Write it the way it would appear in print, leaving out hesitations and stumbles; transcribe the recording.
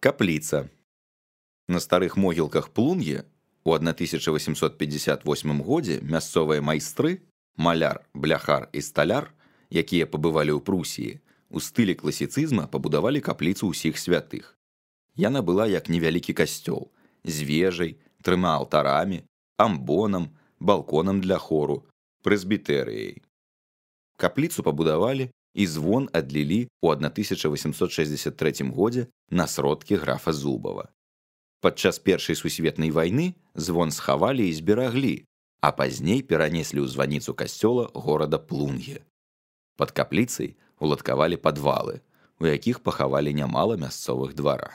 Капліца. На старых могілках Плун'е у 1858 годзе мясцовыя майстры, маляр, бляхар і сталяр, якія пабывалі ў Прусіі, у стылі класіцызма пабудавалі капліцу ўсіх святых. Яна была як невялікі касцёл, з вежай, 3 алтарамі, амбонам, балконам для хору, прэзбітэрыяй. Капліцу пабудавалі і звон адлілі ў 1863 годзе на сродкі графа Зубава. Падчас Першай сусветнай вайны звон схавалі і збераглі, а пазней перанеслі ў званіцу касцёла горада Плун'е. Пад капліцай уладкавалі падвалы, у якіх пахавалі нямала мясцовых дваран.